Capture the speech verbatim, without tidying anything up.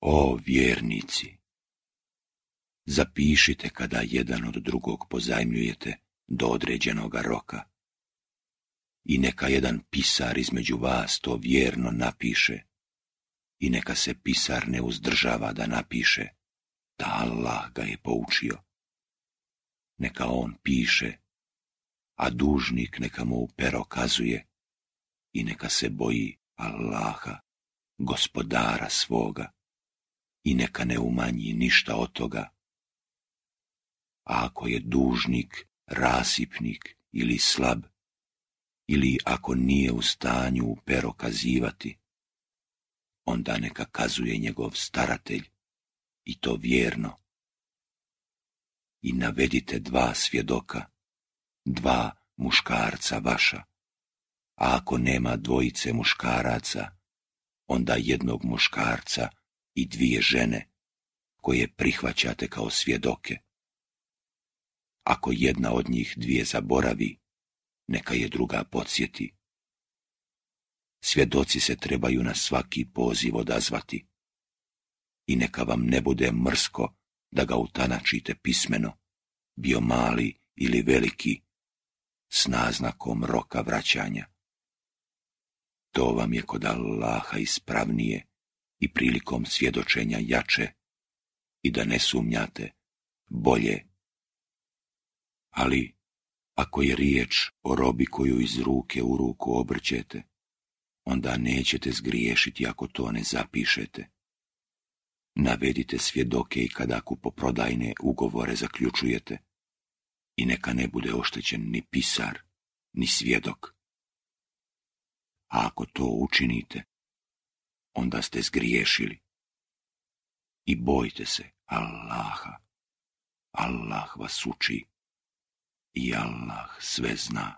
O vjernici, zapišite kada jedan od drugog pozajmljujete do određenoga roka i neka jedan pisar između vas to vjerno napiše i neka se pisar ne uzdržava da napiše da Allah ga je poučio. Neka on piše, a dužnik neka mu u pero kazuje i neka se boji Allaha, gospodara svoga, i neka ne umanji ništa od toga. A ako je dužnik, rasipnik ili slab, ili ako nije u stanju u pero kazivati, onda neka kazuje njegov staratelj, i to vjerno. I navedite dva svjedoka, dva muškarca vaša, a ako nema dvojice muškaraca, onda jednog muškarca i dvije žene, koje prihvaćate kao svjedoke. Ako jedna od njih dvije zaboravi, neka je druga podsjeti. Svjedoci se trebaju na svaki poziv odazvati i neka vam ne bude mrsko da ga utanačite pismeno, bio mali ili veliki, s naznakom roka vraćanja. To vam je kod Allaha ispravnije i prilikom svjedočenja jače, i da ne sumnjate, bolje. Ali, ako je riječ o robi koju iz ruke u ruku obrćete, onda nećete zgriješiti ako to ne zapišete. Navedite svjedoke i kada kupoprodajne ugovore zaključujete, i neka ne bude oštećen ni pisar, ni svjedok. A ako to učinite, onda ste zgriješili. I bojte se Allaha. Allah vas uči i Allah sve zna.